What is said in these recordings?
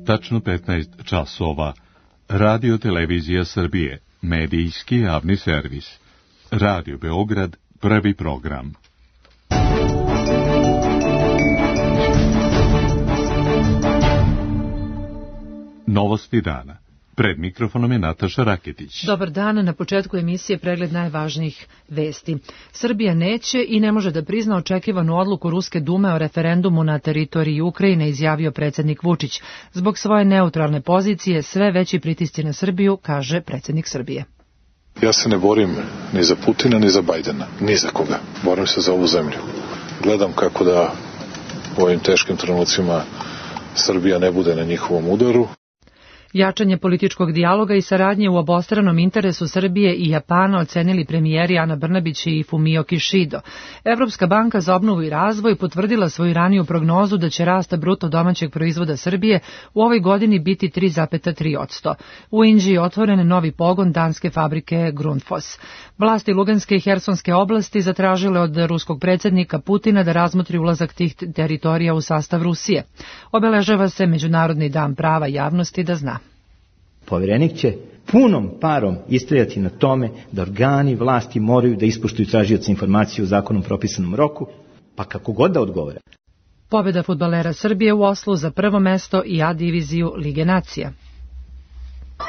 tačno 15 časova. Radio Televizija Srbije, medijski javni servis. Radio Beograd, prvi program. Novosti dana. Pred mikrofonom je Nataša Raketić. Dobar dan, na početku emisije pregled najvažnijih vesti. Srbija neće i ne može da prizna očekivanu odluku Ruske dume o referendumu na teritoriji Ukrajine, izjavio predsjednik Vučić. Zbog svoje neutralne pozicije sve veći pritisci na Srbiju, kaže predsjednik Srbije. Ja se ne borim ni za Putina, ni za Bajdena, ni za koga. Borim se za ovu zemlju. Gledam kako da u ovim teškim trenucima Srbija ne bude na njihovom udaru. Jačanje političkog dijaloga i saradnje u obostranom interesu Srbije i Japana ocenili premijeri Ana Brnabić i Fumio Kishido. Evropska banka za obnovu i razvoj potvrdila svoju raniju prognozu da će rast bruto domaćeg proizvoda Srbije u ovoj godini biti 3,3%. U Inđiji je otvoren novi pogon danske fabrike Grundfos. Vlasti Luganske i Hersonske oblasti zatražile od ruskog predsjednika Putina da razmotri ulazak tih teritorija u sastav Rusije. Obeležava se Međunarodni dan prava javnosti da zna. Povjerenik će punom parom istrajati na tome da organi vlasti moraju da ispoštuju tražioca informacije u zakonom propisanom roku, pa kako god da odgovore. Pobjeda fudbalera Srbije u Oslu za prvo mesto i A diviziju Lige nacija.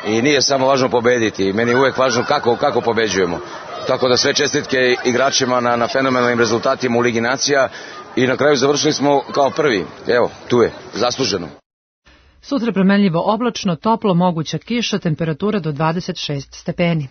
I nije samo važno pobediti, meni je uvijek važno kako pobeđujemo. Tako da sve čestitke igračima na fenomenalnim rezultatima u Ligi nacija i na kraju završili smo kao prvi. Evo, tu je, zasluženo. Sutra promenljivo oblačno, toplo, moguća kiša, temperatura do 26 stepeni.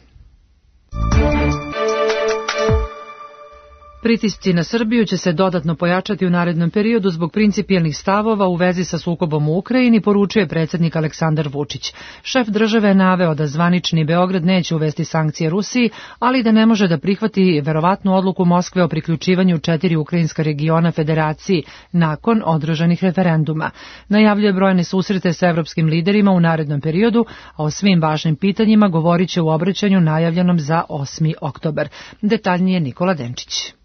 Pritisci na Srbiju će se dodatno pojačati u narednom periodu zbog principijelnih stavova u vezi sa sukobom u Ukrajini, poručuje predsjednik Aleksandar Vučić. Šef države je naveo da zvanični Beograd neće uvesti sankcije Rusiji, ali da ne može da prihvati verovatnu odluku Moskve o priključivanju 4 ukrajinska regiona federaciji nakon održanih referenduma. Najavljuje brojne susrete sa evropskim liderima u narednom periodu, a o svim važnim pitanjima govorit će u obraćanju najavljenom za 8. oktobar. Detaljnije Nikola Denčić.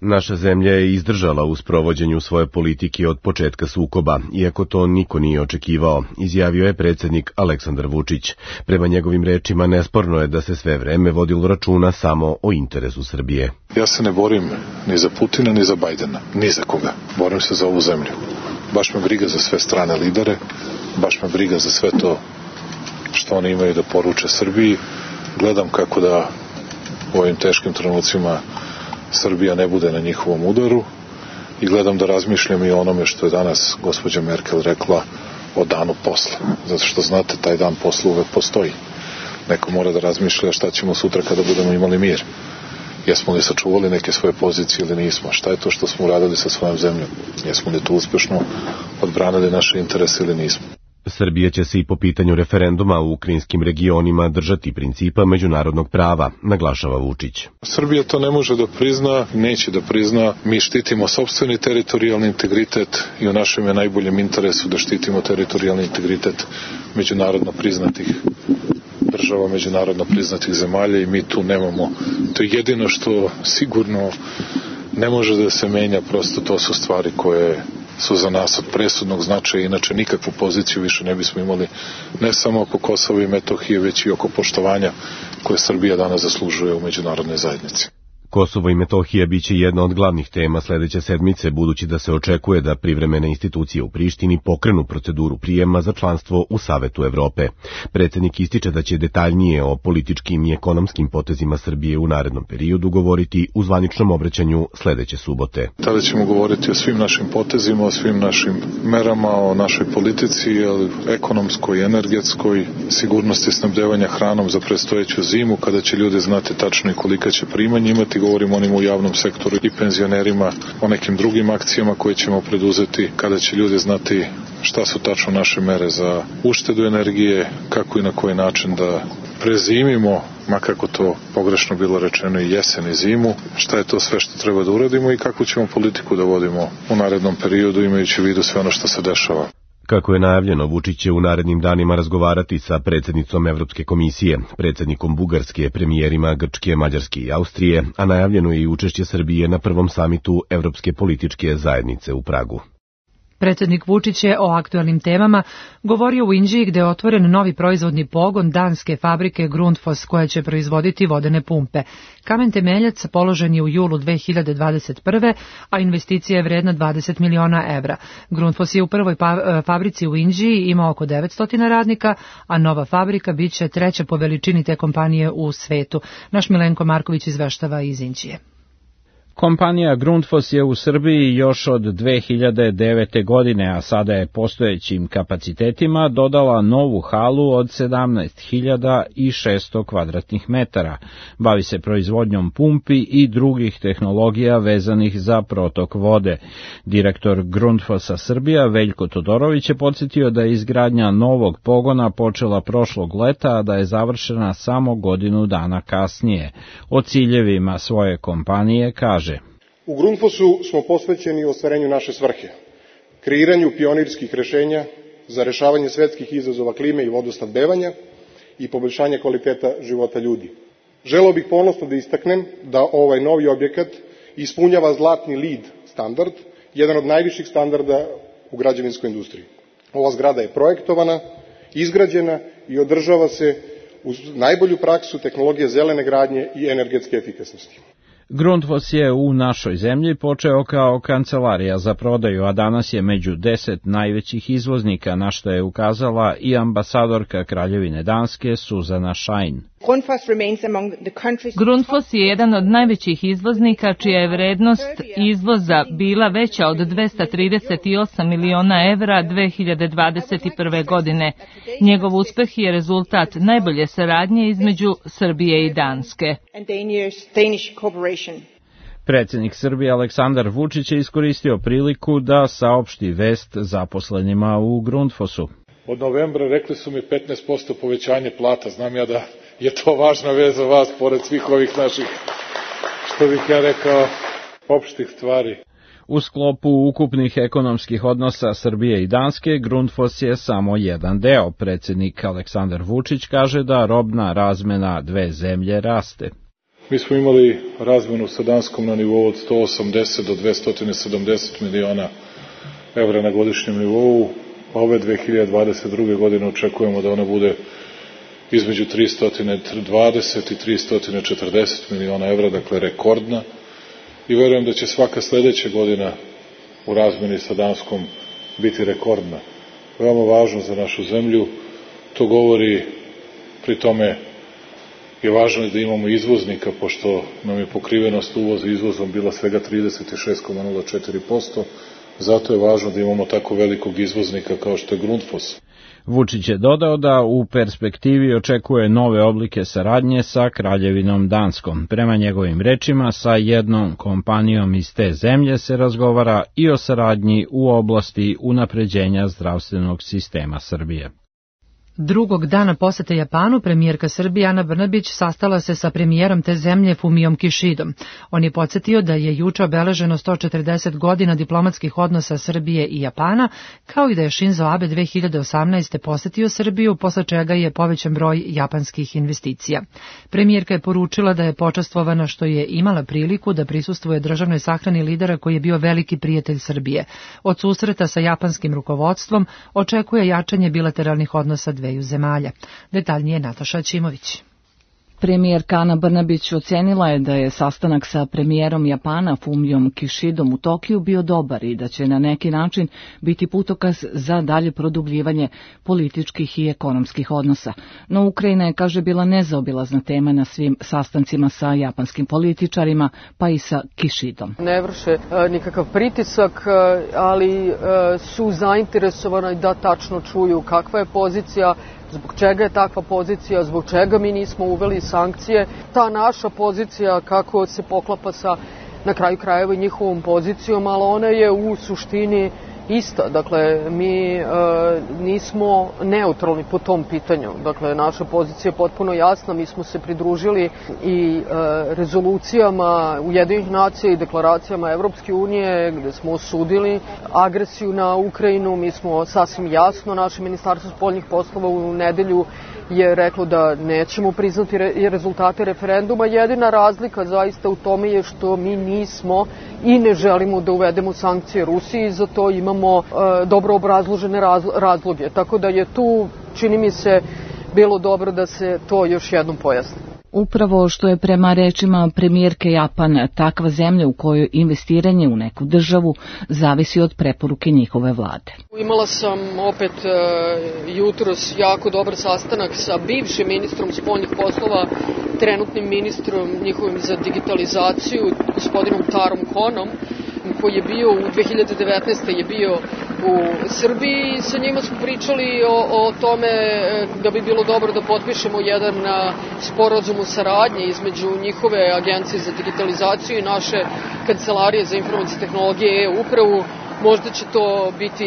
Naša zemlja je izdržala u sprovođenju svoje politike od početka sukoba, iako to niko nije očekivao, izjavio je predsjednik Aleksandar Vučić. Prema njegovim rečima nesporno je da se sve vreme vodilo računa samo o interesu Srbije. Ja se ne borim ni za Putina, ni za Bajdena, ni za koga. Borim se za ovu zemlju. Baš me briga za sve strane lidere, baš me briga za sve to što oni imaju da poruče Srbiji. Gledam kako da u ovim teškim trenucima Srbija ne bude na njihovom udaru i gledam da razmišljam i o onome što je danas gospođa Merkel rekla o danu posle. Zato što znate, taj dan posle uvek postoji. Neko mora da razmišlja šta ćemo sutra kada budemo imali mir. Jesmo li sačuvali neke svoje pozicije ili nismo? Šta je to što smo uradili sa svojom zemljom? Jesmo li tu uspešno odbranili naše interese ili nismo? Srbija će se i po pitanju referenduma u ukrajinskim regionima držati principa međunarodnog prava, naglašava Vučić. Srbija to ne može da prizna, neće da prizna. Mi štitimo sopstveni teritorijalni integritet i u našem je najboljem interesu da štitimo teritorijalni integritet međunarodno priznatih država, međunarodno priznatih zemalja i mi tu nemamo. To je jedino što sigurno ne može da se menja, prosto to su stvari koje su za nas od presudnog značaja, inače nikakvu poziciju više ne bismo imali, ne samo oko Kosova i Metohije, već i oko poštovanja koje Srbija danas zaslužuje u međunarodnoj zajednici. Kosovo i Metohija biće jedna od glavnih tema sledeće sedmice, budući da se očekuje da privremene institucije u Prištini pokrenu proceduru prijema za članstvo u Savetu Evrope. Predsjednik ističe da će detaljnije o političkim i ekonomskim potezima Srbije u narednom periodu govoriti u zvaničnom obraćanju sledeće subote. Tada ćemo govoriti o svim našim potezima, o svim našim merama, o našoj politici, ekonomskoj, energetskoj, sigurnosti snabdevanja hranom za predstojeću zimu, kada će ljudi znati tačno i kolika će primanja imati. Govorimo onima u javnom sektoru i penzionerima, o nekim drugim akcijama koje ćemo preduzeti, kada će ljudi znati šta su tačno naše mere za uštedu energije, kako i na koji način da prezimimo, makako to pogrešno bilo rečeno, i jesen i zimu, šta je to sve što treba da uradimo i kakvu ćemo politiku da vodimo u narednom periodu, imajući u vidu sve ono što se dešava. Kako je najavljeno, Vučić će u narednim danima razgovarati sa predsjednicom Evropske komisije, predsjednikom Bugarske, premijerima Grčke, Mađarske i Austrije, a najavljeno je i učešće Srbije na prvom samitu Evropske političke zajednice u Pragu. Predsjednik Vučić je o aktuelnim temama govorio u Inđiji gde je otvoren novi proizvodni pogon danske fabrike Grundfos koja će proizvoditi vodene pumpe. Kamen temeljac položen je u julu 2021. a investicija je vredna 20 miliona evra. Grundfos je u prvoj fabrici u Inđiji ima oko 900 radnika, a nova fabrika biće treća po veličini te kompanije u svetu. Naš Milenko Marković izveštava iz Inđije. Kompanija Grundfos je u Srbiji još od 2009. godine, a sada je postojećim kapacitetima dodala novu halu od 17.600 kvadratnih metara. Bavi se proizvodnjom pumpi i drugih tehnologija vezanih za protok vode. Direktor Grundfosa Srbija Veljko Todorović je podsjetio da je izgradnja novog pogona počela prošlog leta, a da je završena samo godinu dana kasnije. O ciljevima svoje kompanije kaže: U Grundfosu smo posvećeni ostvarenju naše svrhe, kreiranju pionirskih rešenja za rešavanje svetskih izazova klime i vodosnabdevanja i poboljšanje kvaliteta života ljudi. Želeo bih ponosno da istaknem da ovaj novi objekat ispunjava zlatni LEED standard, jedan od najviših standarda u građevinskoj industriji. Ova zgrada je projektovana, izgrađena i održava se uz najbolju praksu tehnologije zelene gradnje i energetske efikasnosti. Grundfos je u našoj zemlji počeo kao kancelarija za prodaju, a danas je među 10 najvećih izvoznika, na što je ukazala i ambasadorka Kraljevine Danske Suzana Schein. Grundfos je jedan od najvećih izvoznika čija je vrednost izvoza bila veća od 238 miliona evra 2021. godine. Njegov uspeh je rezultat najbolje saradnje između Srbije i Danske. Predsjednik Srbije Aleksandar Vučić je iskoristio priliku da saopšti vest zaposlenima u Grundfosu. Od novembra rekli su mi 15% povećanje plata. Znam ja da je to važna vez za vas, pored svih ovih naših, što bih ja rekao, opštih stvari. U sklopu ukupnih ekonomskih odnosa Srbije i Danske, Grundfos je samo jedan deo. Predsjednik Aleksandar Vučić kaže da robna razmena dve zemlje raste. Mi smo imali razmenu sa Danskom na nivou od 180 do 270 miliona evra na godišnjem nivou. Ove 2022. godine očekujemo da ona bude između 320 i 340 miliona evra, dakle rekordna. I verujem da će svaka sledeća godina u razmeni sa Danskom biti rekordna. Veoma važno za našu zemlju, to govori, pri tome je važno da imamo izvoznika, pošto nam je pokrivenost uvoza izvozom bila svega 36,04%, zato je važno da imamo tako velikog izvoznika kao što je Grundfos. Vučić je dodao da u perspektivi očekuje nove oblike saradnje sa Kraljevinom Danskom. Prema njegovim rečima, sa jednom kompanijom iz te zemlje se razgovara i o saradnji u oblasti unapređenja zdravstvenog sistema Srbije. Drugog dana posete Japanu premijerka Srbije Ana Brnabić sastala se sa premijerom te zemlje Fumijom Kishidom. On je podsjetio da je juče obeleženo 140 godina diplomatskih odnosa Srbije i Japana, kao i da je Shinzo Abe 2018. posetio Srbiju, posle čega je povećan broj japanskih investicija. Premijerka je poručila da je počastvovana što je imala priliku da prisustvuje državnoj sahrani lidera koji je bio veliki prijatelj Srbije. Od susreta sa japanskim rukovodstvom očekuje jačanje bilateralnih odnosa dveju zemalja. Detaljnije Nataša Ćimović. Premijerka Ana Brnabić ocenila je da je sastanak sa premijerom Japana Fumijom Kishidom u Tokiju bio dobar i da će na neki način biti putokaz za dalje produbljivanje političkih i ekonomskih odnosa. No Ukrajina je, kaže, bila nezaobilazna tema na svim sastancima sa japanskim političarima, pa i sa Kishidom. Ne vrše nikakav pritisak, ali su zainteresovani da tačno čuju kakva je pozicija, zbog čega je takva pozicija, zbog čega mi nismo uveli sankcije. Ta naša pozicija kako se poklapa sa, na kraju krajeva, i njihovom pozicijom, ali ona je u suštini ista. Dakle, mi nismo neutralni po tom pitanju. Dakle, naša pozicija je potpuno jasna. Mi smo se pridružili i rezolucijama Ujedinjenih nacija i deklaracijama Evropske unije gde smo osudili agresiju na Ukrajinu. Mi smo sasvim jasno, naše ministarstvo spoljnih poslova u nedelju je reklo da nećemo priznati rezultate referenduma. Jedina razlika zaista u tome je što mi nismo i ne želimo da uvedemo sankcije Rusiji, za to imamo dobro obrazložene razloge. Tako da je tu, čini mi se, bilo dobro da se to još jednom pojasni. Upravo što je prema rečima premijerke Japan takva zemlja u kojoj investiranje u neku državu zavisi od preporuke njihove vlade. Imala sam opet jutros jako dobar sastanak sa bivšim ministrom spoljnih poslova, trenutnim ministrom njihovim za digitalizaciju, gospodinom Tarom Konom, koji je bio u 2019. je bio u Srbiji. Sa njima smo pričali o tome da bi bilo dobro da potpišemo jedan sporazum o saradnji između njihove agencije za digitalizaciju i naše kancelarije za informacije tehnologije i e-upravu. Možda će to biti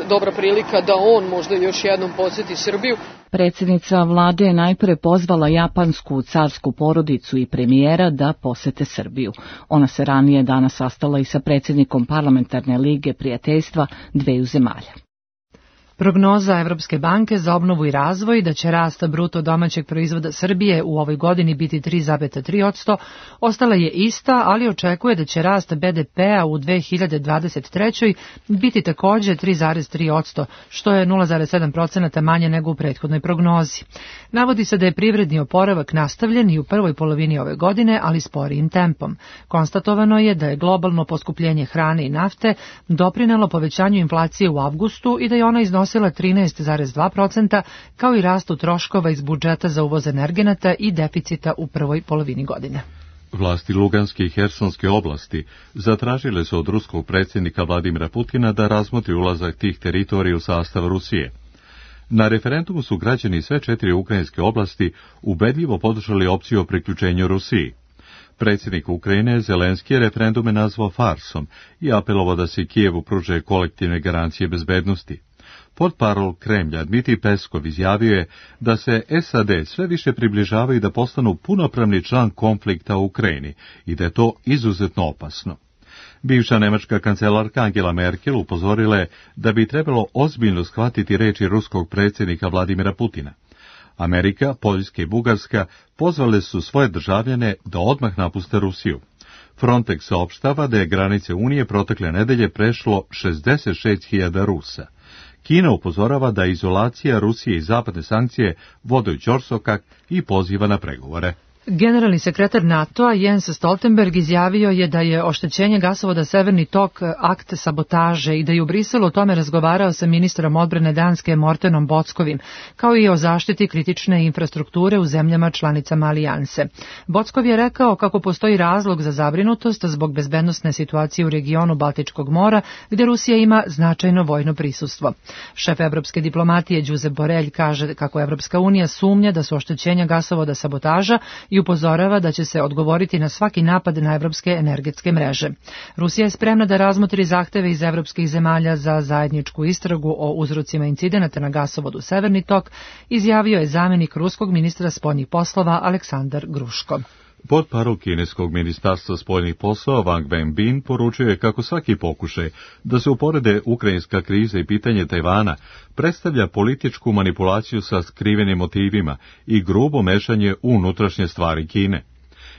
dobra prilika da on možda još jednom posjeti Srbiju. Predsjednica vlade je najpre pozvala japansku carsku porodicu i premijera da posete Srbiju. Ona se ranije danas sastala i sa predsjednikom Parlamentarne lige prijateljstva dveju zemalja. Prognoza Evropske banke za obnovu i razvoj da će rast bruto domaćeg proizvoda Srbije u ovoj godini biti 3,3%, ostala je ista, ali očekuje da će rast BDP-a u 2023. biti također 3,3%, što je 0,7% manje nego u prethodnoj prognozi. Navodi se da je privredni oporavak nastavljen i u prvoj polovini ove godine, ali sporijim tempom. Konstatovano je da je globalno poskupljenje hrane i nafte doprinelo povećanju inflacije u avgustu i da je ona iznosila 13,2%, kao i rastu troškova iz budžeta za uvoz energenata i deficita u prvoj polovini godine. Vlasti Luganske i Hersonske oblasti zatražile su od ruskog predsjednika Vladimira Putina da razmotri ulazak tih teritorija u sastav Rusije. Na referendumu su građani sve 4 ukrajinske oblasti ubedljivo podržali opciju o priključenju Rusiji. Predsjednik Ukrajine Zelenski je referendume nazvao farsom i apelovao da se Kijevu pruže kolektivne garancije bezbednosti. Portparol Kremlja Dmitrij Peskov izjavio je da se SAD sve više približavaju da postanu punopravni član konflikta u Ukrajini i da je to izuzetno opasno. Bivša nemačka kancelarka Angela Merkel upozorila je da bi trebalo ozbiljno shvatiti reči ruskog predsjednika Vladimira Putina. Amerika, Poljska i Bugarska pozvale su svoje državljane da odmah napuste Rusiju. Frontex saopštava da je granice Unije protekle nedelje prešlo 66.000 Rusa. Kina upozorava da izolacija Rusije i zapadne sankcije vode u ćorsokak i poziva na pregovore. Generalni sekretar NATO-a Jens Stoltenberg izjavio je da je oštećenje gasovoda Severni tok akt sabotaže i da je u Briselu o tome razgovarao sa ministrom odbrane Danske Mortenom Bockovim, kao i o zaštiti kritične infrastrukture u zemljama članicama alijanse. Bockov je rekao kako postoji razlog za zabrinutost zbog bezbednosne situacije u regionu Baltičkog mora, gdje Rusija ima značajno vojno prisustvo. Šef evropske diplomatije Josep Borrell kaže kako Evropska unija sumnja da su oštećenja gasovoda sabotaža i upozorava da će se odgovoriti na svaki napad na evropske energetske mreže. Rusija je spremna da razmotri zahteve iz evropskih zemalja za zajedničku istragu o uzrocima incidenata na gasovodu Severni tok, izjavio je zamjenik ruskog ministra spoljnih poslova Aleksandar Gruško. Portparol kineskog ministarstva spoljnih poslova Wang Wenbin poručuje kako svaki pokušaj da se uporede ukrajinska kriza i pitanje Tajvana predstavlja političku manipulaciju sa skrivenim motivima i grubo mešanje u unutrašnje stvari Kine.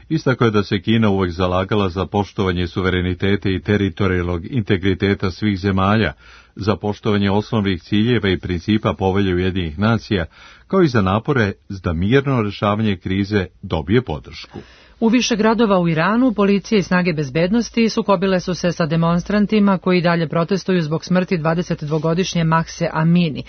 Istakao je da se Kina uvek zalagala za poštovanje suvereniteta i teritorijalnog integriteta svih zemalja, za poštovanje osnovnih ciljeva i principa Povelje Ujedinjenih nacija, kao i za napore da mirno rešavanje krize dobije podršku. U više gradova u Iranu policija i snage bezbednosti sukobile su se sa demonstrantima koji dalje protestuju zbog smrti 22-godišnje Mahse Amini.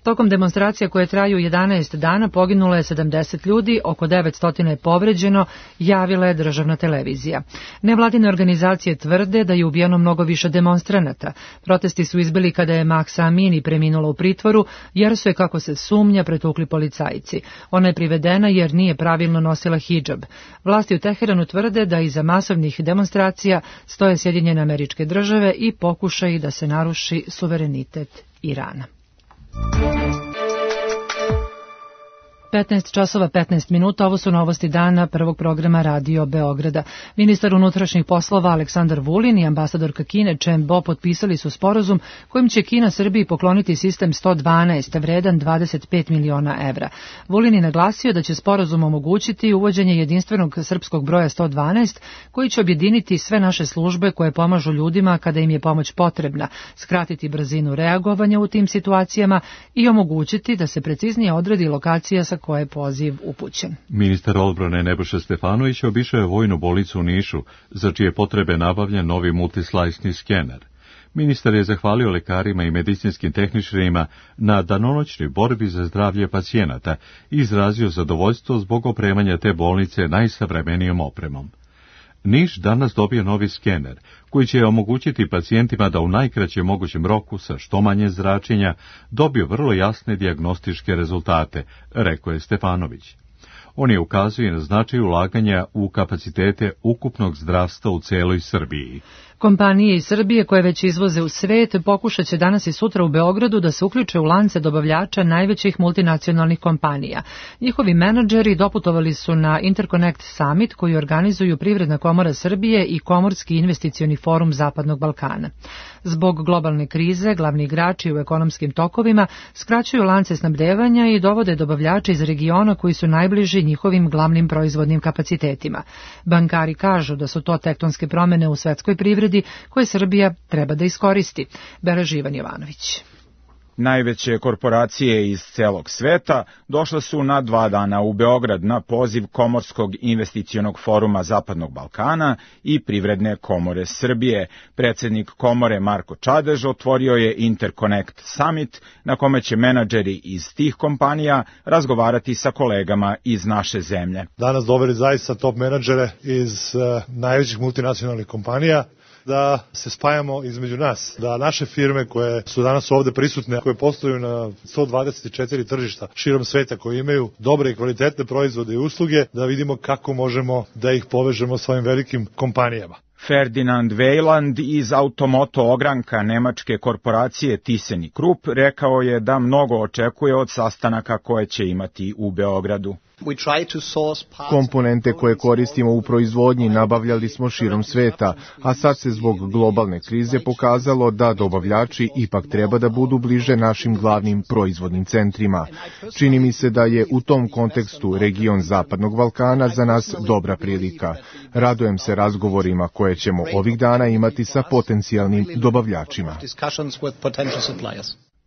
Tokom demonstracija koje traju 11 dana poginulo je 70 ljudi, oko 900 je povređeno, javila je državna televizija. Nevladine organizacije tvrde da je ubijeno mnogo više demonstranata. Protesti su izbili kada je Mahsa Amini preminula u pritvoru, jer su je, kako se sumnja, pretukli policajci. Ona je privedena jer nije pravilno nosila hidžab. Vlasti u Teheranu tvrde da iza masovnih demonstracija stoje Sjedinjene Američke Države i pokušaji da se naruši suverenitet Irana. 15 časova 15 minuta, ovo su novosti dana prvog programa Radio Beograda. Ministar unutrašnjih poslova Aleksandar Vulin i ambasadorka Kine Chen Bo potpisali su sporazum kojim će Kina Srbiji pokloniti sistem 112, vredan 25 miliona evra. Vulin je naglasio da će sporazum omogućiti uvođenje jedinstvenog srpskog broja 112, koji će objediniti sve naše službe koje pomažu ljudima kada im je pomoć potrebna, skratiti brzinu reagovanja u tim situacijama i omogućiti da se preciznije odredi lokacija sa koje je poziv upućen. Ministar odbrane Nebojša Stefanović obišao je vojnu bolnicu u Nišu, za čije potrebe nabavljen novi multislajsni skener. Ministar je zahvalio lekarima i medicinskim tehničarima na danonoćnoj borbi za zdravlje pacijenata i izrazio zadovoljstvo zbog opremanja te bolnice najsavremenijom opremom. Niš danas dobio novi skener, koji će omogućiti pacijentima da u najkraćem mogućem roku sa što manje zračenja dobiju vrlo jasne dijagnostičke rezultate, rekao je Stefanović. On je ukazuje na značaj ulaganja u kapacitete ukupnog zdravstva u celoj Srbiji. Kompanije iz Srbije koje već izvoze u svet pokušat će danas i sutra u Beogradu da se uključe u lance dobavljača najvećih multinacionalnih kompanija. Njihovi menadžeri doputovali su na Interconnect Summit koji organizuju Privredna komora Srbije i Komorski investicioni forum Zapadnog Balkana. Zbog globalne krize, glavni igrači u ekonomskim tokovima skraćuju lance snabdevanja i dovode dobavljače iz regiona koji su najbliži njihovim glavnim proizvodnim kapacitetima. Bankari kažu da su to tektonske promene u svetskoj privredi koje Srbija treba da iskoristi. Beleži Ivan Jovanović. Najveće korporacije iz celog sveta došle su na 2 dana u Beograd na poziv Komorskog investicionog foruma Zapadnog Balkana i Privredne komore Srbije. Predsednik komore Marko Čadež otvorio je Interconnect Summit na kome će menadžeri iz tih kompanija razgovarati sa kolegama iz naše zemlje. Danas doveli zaista top menadžere iz najvećih multinacionalnih kompanija, da se spajamo između nas, da naše firme koje su danas ovde prisutne, koje posluju na 124 tržišta širom sveta, koje imaju dobre i kvalitetne proizvode i usluge, da vidimo kako možemo da ih povežemo s ovim velikim kompanijama. Ferdinand Weiland iz Automoto ogranka nemačke korporacije ThyssenKrupp rekao je da mnogo očekuje od sastanaka koje će imati u Beogradu. Komponente koje koristimo u proizvodnji nabavljali smo širom sveta, a sad se zbog globalne krize pokazalo da dobavljači ipak treba da budu bliže našim glavnim proizvodnim centrima. Čini mi se da je u tom kontekstu region Zapadnog Balkana za nas dobra prilika. Radujem se razgovorima koje ćemo ovih dana imati sa potencijalnim dobavljačima.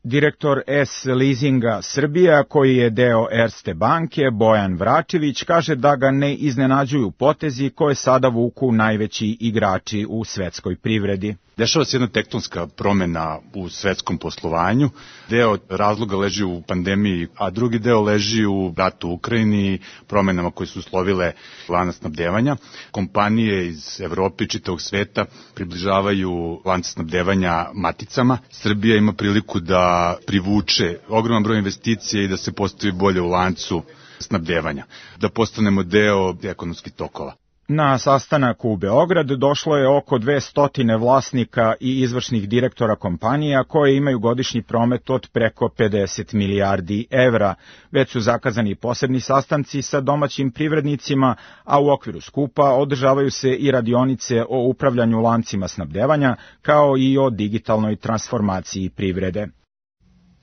Direktor S-Leasinga Srbija, koji je deo Erste banke, Bojan Vračević, kaže da ga ne iznenađuju potezi koje sada vuku najveći igrači u svetskoj privredi. Dešava se jedna tektonska promena u svetskom poslovanju. Deo razloga leži u pandemiji, a drugi deo leži u ratu u Ukrajini, promenama koje su uslovile lanac snabdevanja. Kompanije iz Evrope i čitavog sveta približavaju lanac snabdevanja maticama. Srbija ima priliku da privuče ogroman broj investicija i da se postavi bolje u lancu snabdevanja, da postanemo deo ekonomskih tokova. Na sastanak u Beograd došlo je oko 200 vlasnika i izvršnih direktora kompanija koje imaju godišnji promet od preko 50 milijardi evra. Već su zakazani posebni sastanci sa domaćim privrednicima, a u okviru skupa održavaju se i radionice o upravljanju lancima snabdevanja, kao i o digitalnoj transformaciji privrede.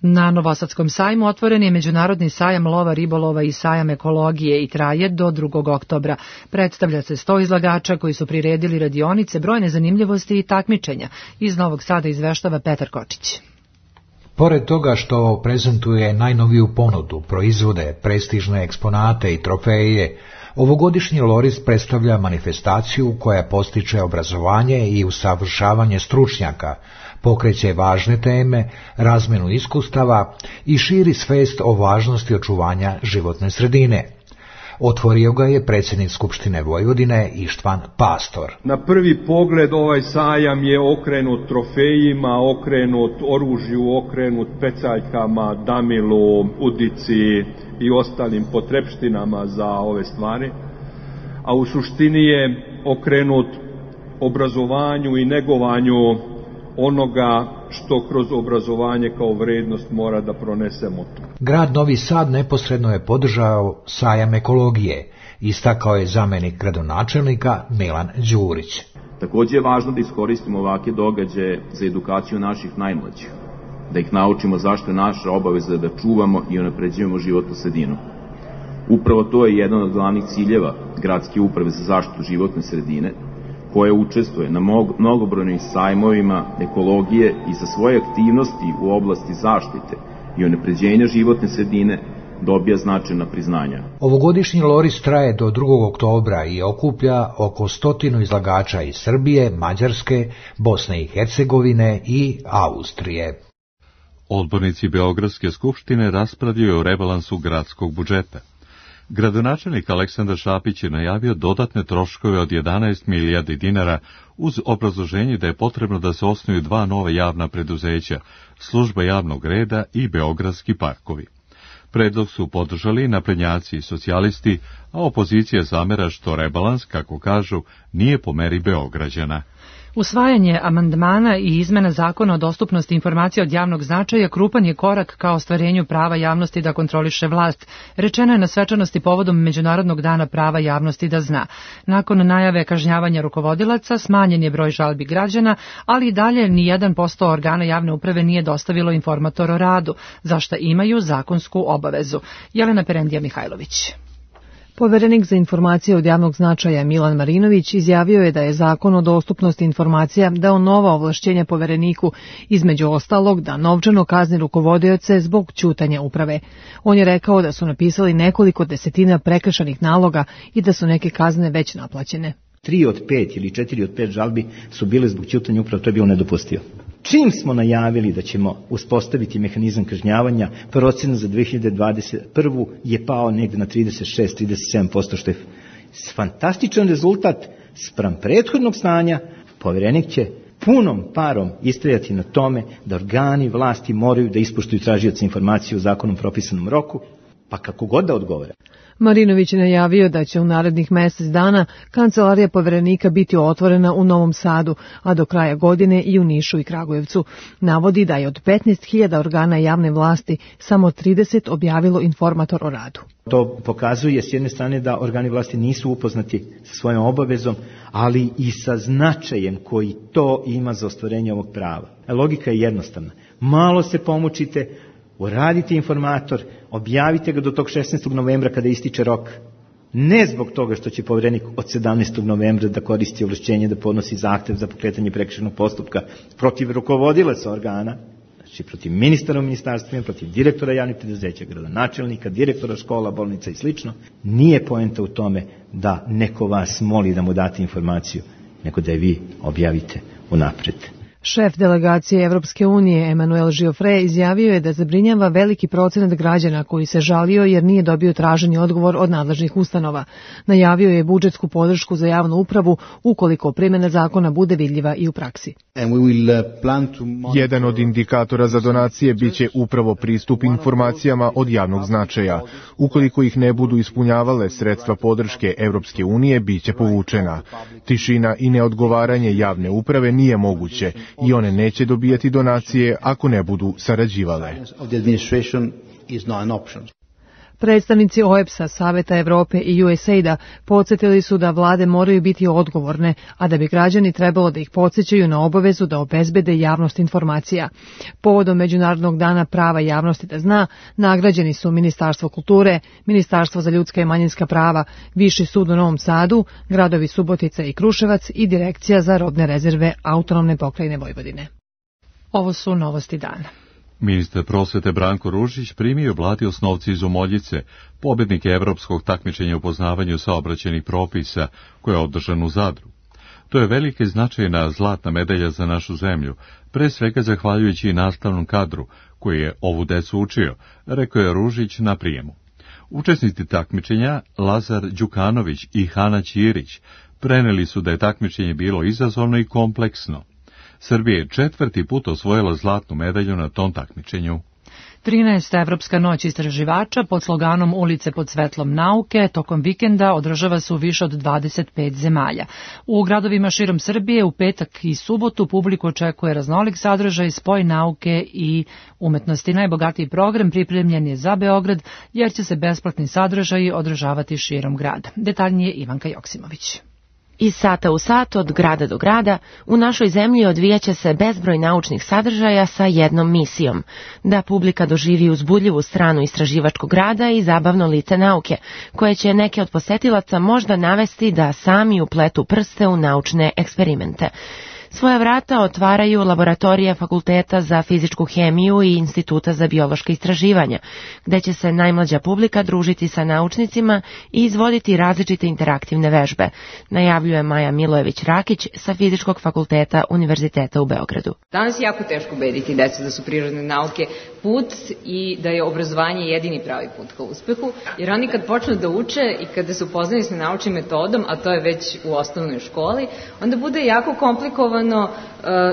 Na Novosadskom sajmu otvoren je Međunarodni sajam lova, ribolova i sajam ekologije i traje do 2. oktobra. Predstavlja se 100 izlagača koji su priredili radionice, brojne zanimljivosti i takmičenja. Iz Novog Sada izveštava Petar Kočić. Pored toga što prezentuje najnoviju ponudu, proizvode, prestižne eksponate i trofeje, ovogodišnji Loris predstavlja manifestaciju koja postiče obrazovanje i usavršavanje stručnjaka, pokreće važne teme, razmenu iskustava i širi svest o važnosti očuvanja životne sredine. Otvorio ga je predsjednik Skupštine Vojvodine Ištvan Pastor. Na prvi pogled ovaj sajam je okrenut trofejima, okrenut oružju, okrenut pecaljkama, damilu, udici i ostalim potrepštinama za ove stvari, a u suštini je okrenut obrazovanju i negovanju onoga što kroz obrazovanje kao vrednost mora da pronesemo tu. Grad Novi Sad neposredno je podržao sajam ekologije, istakao je zamenik gradonačelnika Milan Đurić. Takođe je važno da iskoristimo ovake događaje za edukaciju naših najmlađih, da ih naučimo zašto je naša obaveza da čuvamo i unapređujemo životnu sredinu. Upravo to je jedan od glavnih ciljeva Gradske uprave za zaštitu životne sredine, koja učestvuje na mnogobrojnim sajmovima ekologije i za svoje aktivnosti u oblasti zaštite i unapređenja životne sredine dobija značajna priznanja. Ovogodišnji Loris traje do 2. oktobra i okuplja oko 100 izlagača iz Srbije, Mađarske, Bosne i Hercegovine i Austrije. Odbornici Beogradske skupštine raspravljaju o rebalansu gradskog budžeta. Gradonačelnik Aleksandar Šapić je najavio dodatne troškove od 11 milijardi dinara uz obrazloženje da je potrebno da se osnuju 2 nova javna preduzeća, služba javnog reda i beogradski parkovi. Predlog su podržali naprednjaci i socijalisti, a opozicija zamera što rebalans, kako kažu, nije po meri Beograđana. Usvajanje amandmana i izmena zakona o dostupnosti informacija od javnog značaja krupan je korak ka ostvarenju prava javnosti da kontroliše vlast, rečeno je na svečanosti povodom Međunarodnog dana prava javnosti da zna. Nakon najave kažnjavanja rukovodilaca, smanjen je broj žalbi građana, ali i dalje ni 1% organa javne uprave nije dostavilo informator o radu, za šta imaju zakonsku obavezu. Jelena Perendija Mihajlović. Poverenik za informacije od javnog značaja Milan Marinović izjavio je da je zakon o dostupnosti informacija dao nova ovlašćenja povereniku, između ostalog da novčano kazni rukovodioce zbog ćutanja uprave. On je rekao da su napisali nekoliko desetina prekršajnih naloga i da su neke kazne već naplaćene. 3 od 5 ili 4 od 5 žalbi su bile zbog ćutanja uprave, to je bilo nedopustivo. Čim smo najavili da ćemo uspostaviti mehanizam kažnjavanja, procena za 2021. je pao negde na 36-37%, što je fantastičan rezultat spram prethodnog stanja. Poverenik će punom parom istrajati na tome da organi vlasti moraju da ispoštuju tražioce informacije u zakonom propisanom roku, pa kako god da odgovore. Marinović je najavio da će u narednih mesec dana kancelarija poverenika biti otvorena u Novom Sadu, a do kraja godine i u Nišu i Kragujevcu. Navodi da je od 15.000 organa javne vlasti samo 30 objavilo informator o radu. To pokazuje s jedne strane da organi vlasti nisu upoznati sa svojom obavezom, ali i sa značajem koji to ima za ostvarenje ovog prava. Logika je jednostavna. Malo se pomučite, uradite informator, objavite ga do tog 16. novembra kada ističe rok. Ne zbog toga što će poverenik od 17. novembra da koristi ovlašćenje da podnosi zahtev za pokretanje prekršajnog postupka protiv rukovodilaca organa, znači protiv ministara u ministarstvima, protiv direktora javnih preduzeća, gradonačelnika, direktora škola, bolnica i sl. Nije poenta u tome da neko vas moli da mu date informaciju, nego da je vi objavite unapred. Šef delegacije Evropske unije Emanuel Giofre izjavio je da zabrinjava veliki procenat građana koji se žalio jer nije dobio traženi odgovor od nadležnih ustanova. Najavio je budžetsku podršku za javnu upravu ukoliko primjena zakona bude vidljiva i u praksi. Jedan od indikatora za donacije biće upravo pristup informacijama od javnog značaja. Ukoliko ih ne budu ispunjavale sredstva podrške Evropske unije, biće povučena. Tišina i neodgovaranje javne uprave nije moguće i one neće dobijati donacije ako ne budu sarađivale. Predstavnici OEBS-a, Saveta Evrope i USAID-a podsjetili su da vlade moraju biti odgovorne, a da bi građani trebalo da ih podsjećaju na obavezu da obezbede javnost informacija. Povodom Međunarodnog dana prava javnosti da zna, nagrađeni su Ministarstvo kulture, Ministarstvo za ljudska i manjinska prava, Viši sud u Novom Sadu, gradovi Subotica i Kruševac i Direkcija za robne rezerve Autonomne pokrajine Vojvodine. Ovo su novosti dana. Ministar prosvete Branko Ružić primio Blati Osnovci iz Umoljice, pobednike evropskog takmičenja u poznavanju saobraćajnih propisa, koje je održan u Zadru. To je velika i značajna zlatna medalja za našu zemlju, pre svega zahvaljujući i nastavnom kadru, koji je ovu decu učio, rekao je Ružić na prijemu. Učesnici takmičenja, Lazar Đukanović i Hana Ćirić, preneli su da je takmičenje bilo izazovno i kompleksno. Srbija je 4. put osvojila zlatnu medalju na tom takmičenju. 13. Evropska noć istraživača pod sloganom Ulice pod svetlom nauke tokom vikenda održava se u više od 25 zemalja. U gradovima širom Srbije u petak i subotu publiku očekuje raznolik sadržaj, spoj nauke i umetnosti. Najbogatiji program pripremljen je za Beograd jer će se besplatni sadržaji održavati širom grada. Detaljnije Ivanka Joksimović. Iz sata u sat, od grada do grada, u našoj zemlji odvijaće se bezbroj naučnih sadržaja sa jednom misijom, da publika doživi uzbudljivu stranu istraživačkog rada i zabavno lice nauke, koje će neke od posetilaca možda navesti da sami upletu prste u naučne eksperimente. Svoja vrata otvaraju laboratorije Fakulteta za fizičku hemiju i Instituta za biološka istraživanja, gde će se najmlađa publika družiti sa naučnicima i izvoditi različite interaktivne vežbe, najavljuje Maja Milojević-Rakić sa Fizičkog fakulteta Univerziteta u Beogradu. Danas je jako teško ubediti decu da su prirodne nauke put i da je obrazovanje jedini pravi put ka uspehu, jer oni kad počnu da uče i kada se upoznaju sa naučnim metodom, a to je već u osnovnoj školi, onda bude jako komplikovano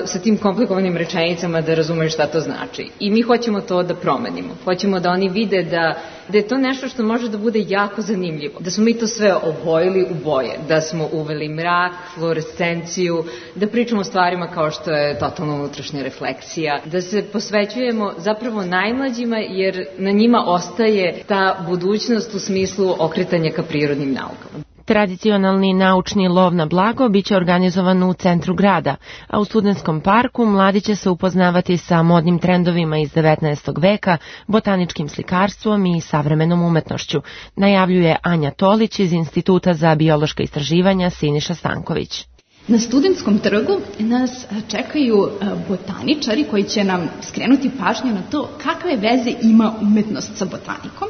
sa tim komplikovanim rečenicama da razumeju šta to znači. I mi hoćemo to da promenimo. Hoćemo da oni vide da je to nešto što može da bude jako zanimljivo. Da smo mi to sve obojili u boje. Da smo uveli mrak, fluorescenciju, da pričamo o stvarima kao što je totalna unutrašnja refleksija, da se posvećujemo zapravo najmlađima jer na njima ostaje ta budućnost u smislu okretanja ka prirodnim naukama. Tradicionalni naučni lov na blago biće organizovan u centru grada, a u Studentskom parku mladi će se upoznavati sa modnim trendovima iz 19. veka, botaničkim slikarstvom i savremenom umetnošću, najavljuje Anja Tolić iz Instituta za biološka istraživanja Siniša Stanković. Na Studentskom trgu nas čekaju botaničari koji će nam skrenuti pažnju na to kakve veze ima umetnost sa botanikom.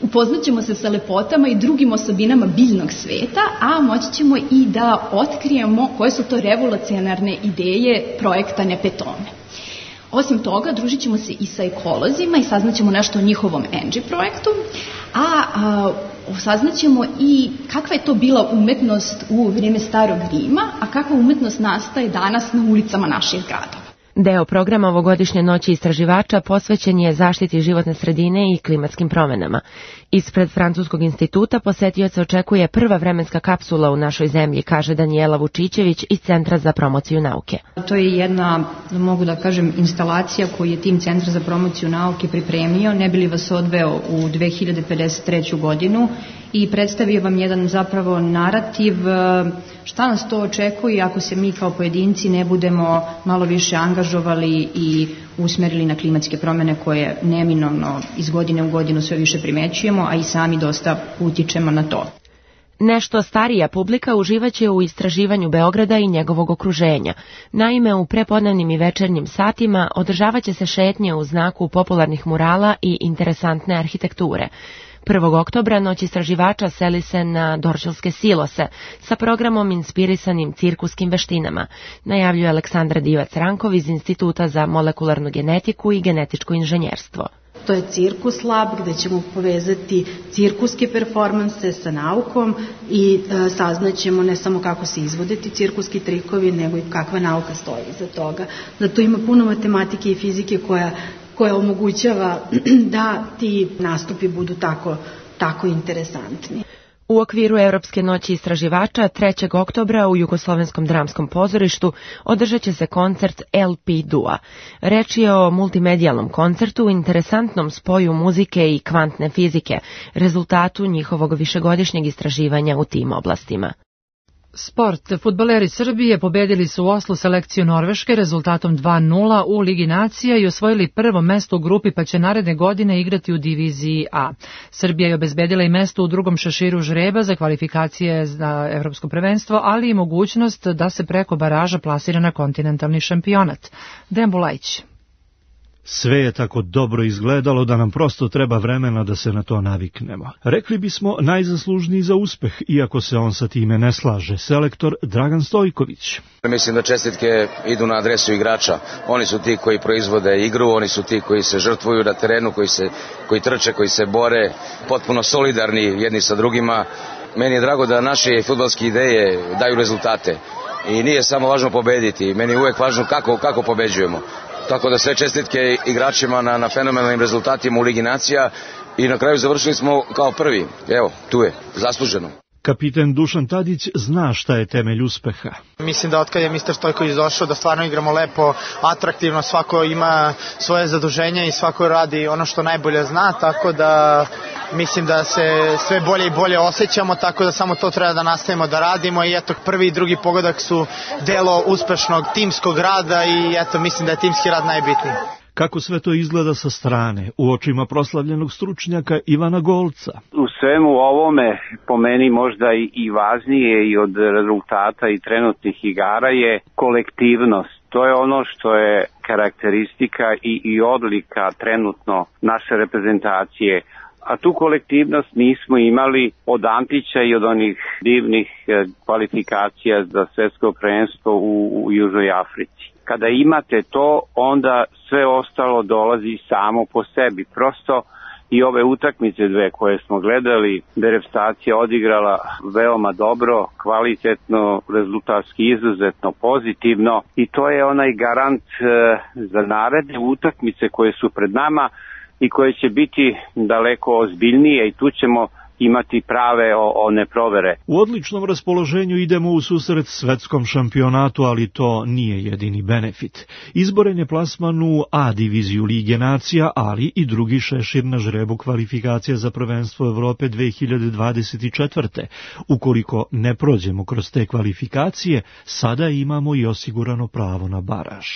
Upoznaćemo se sa lepotama i drugim osobinama biljnog sveta, a moći ćemo i da otkrijemo koje su to revolucionarne ideje projekta Nepetone. Osim toga, družit ćemo se i sa ekolozima i saznaćemo nešto o njihovom ENGI projektu, a saznaćemo i kakva je to bila umetnost u vrijeme Starog Rima, a kakva umetnost nastaje danas na ulicama naših gradova. Deo programa ovogodišnje noći istraživača posvećen je zaštiti životne sredine i klimatskim promenama. Ispred Francuskog instituta posetioca očekuje prva vremenska kapsula u našoj zemlji, kaže Danijela Vučićević iz Centra za promociju nauke. To je jedna, mogu da kažem, instalacija koju je tim Centra za promociju nauke pripremio, ne bi li vas odveo u 2053. godinu i predstavio vam jedan zapravo narativ šta nas to očekuje ako se mi kao pojedinci ne budemo malo više angažovali i usmerili na klimatske promjene koje neminovno iz godine u godinu sve više primećujemo, a i sami dosta utičemo na to. Nešto starija publika uživaće u istraživanju Beograda i njegovog okruženja. Naime, u prepodnevnim i večernjim satima održavaće se šetnje u znaku popularnih murala i interesantne arhitekture. 1. oktobra noć istraživača seli se na Dorćolske silose sa programom inspirisanim cirkuskim veštinama, najavljuje Aleksandra Divac-Rankov iz Instituta za molekularnu genetiku i genetičko inženjerstvo. To je Cirkus Lab gde ćemo povezati cirkuske performanse sa naukom i saznaćemo ne samo kako se izvode ti cirkuski trikovi, nego i kakva nauka stoji iza toga. Da tu ima puno matematike i fizike koja omogućava da ti nastupi budu tako interesantni. U okviru Evropske noći istraživača 3. oktobra u Jugoslovenskom dramskom pozorištu održat će se koncert LP Dua. Reč je o multimedijalnom koncertu u interesantnom spoju muzike i kvantne fizike, rezultatu njihovog višegodišnjeg istraživanja u tim oblastima. Sport. Fudbaleri Srbije pobedili su u Oslu selekciju Norveške rezultatom 2:0 u Ligi nacija i osvojili prvo mesto u grupi, pa će naredne godine igrati u diviziji A. Srbija je obezbedila i mesto u drugom šeširu žreba za kvalifikacije za evropsko prvenstvo, ali i mogućnost da se preko baraža plasira na kontinentalni šampionat. Dejan Bulajić. Sve je tako dobro izgledalo da nam prosto treba vremena da se na to naviknemo. Rekli bismo najzaslužniji za uspeh, iako se on sa time ne slaže, selektor Dragan Stojković. Mislim da čestitke idu na adresu igrača. Oni su ti koji proizvode igru, oni su ti koji se žrtvuju na terenu, koji trče, koji se bore, potpuno solidarni jedni sa drugima. Meni je drago da naše fudbalske ideje daju rezultate. I nije samo važno pobediti, meni je uvek važno kako pobeđujemo. Tako da sve čestitke igračima na fenomenalnim rezultatima u Ligi nacija i na kraju završili smo kao prvi. Evo, tu je, zasluženo. Kapiten Dušan Tadić zna šta je temelj uspeha. Mislim da otkad je mister Stojković došao da stvarno igramo lepo, atraktivno, svako ima svoje zaduženje i svako radi ono što najbolje zna, tako da mislim da se sve bolje i bolje osjećamo, tako da samo to treba da nastavimo da radimo i eto prvi i drugi pogodak su delo uspešnog timskog rada i eto mislim da je timski rad najbitniji. Kako sve to izgleda sa strane, u očima proslavljenog stručnjaka Ivana Golca? U svemu ovome, po meni možda i važnije i od rezultata i trenutnih igara je kolektivnost. To je ono što je karakteristika i odlika trenutno naše reprezentacije. A tu kolektivnost nismo imali od Antića i od onih divnih kvalifikacija za svetsko prvenstvo u Južnoj Africi. Kada imate to, onda sve ostalo dolazi samo po sebi. Prosto i ove utakmice dve koje smo gledali, da je reprezentacija odigrala veoma dobro, kvalitetno, rezultatski izuzetno pozitivno i to je onaj garant za naredne utakmice koje su pred nama i koje će biti daleko ozbiljnije i tu ćemo imati prave one provere. U odličnom raspoloženju idemo u susret svetskom šampionatu, ali to nije jedini benefit. Izboren je plasman u A diviziju Lige nacija, ali i drugi šešir na žrebu kvalifikacija za prvenstvo Evrope 2024. Ukoliko ne prođemo kroz te kvalifikacije, sada imamo i osigurano pravo na baraž.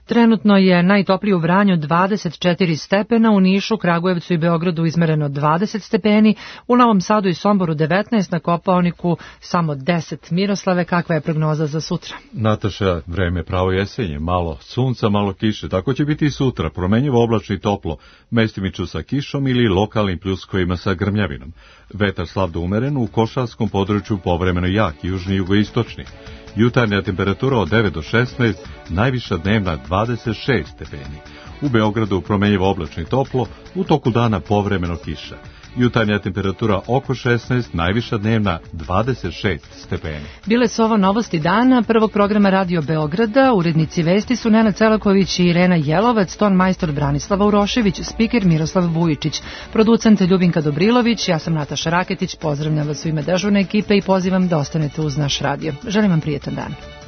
Trenutno je najtoplije u Vranju 24 stepena, u Nišu, Kragujevcu i Beogradu izmereno 20 stepeni, u Novom Sadu i Somboru 19, na Kopaoniku samo 10. Miroslave, kakva je prognoza za sutra? Nataša, vreme pravo jesenje, malo sunca, malo kiše, tako će biti i sutra, promenjivo oblačno i toplo, mestimično sa kišom ili lokalnim pljuskovima sa grmljavinom. Vetar slab do umeren, u košarskom području povremeno jak, južni i jugoistočni. Jutarnja temperatura od 9 do 16, najviša dnevna 26 stepeni. U Beogradu promenjivo oblačno i toplo, u toku dana povremeno kiša. Jutarnja temperatura oko 16, najviša dnevna 26 stepeni. Bile su ovo novosti dana prvog programa Radio Beograda. Urednici vesti su Nenad Celaković i Irena Jelovac, ton majstor Branislava Urošević, spiker Miroslav Vujičić, producent Ljubinka Dobrilović, ja sam Nataša Raketić, pozdravljam vas u ime dežurne ekipe i pozivam da ostanete uz naš radio. Želim vam prijetan dan.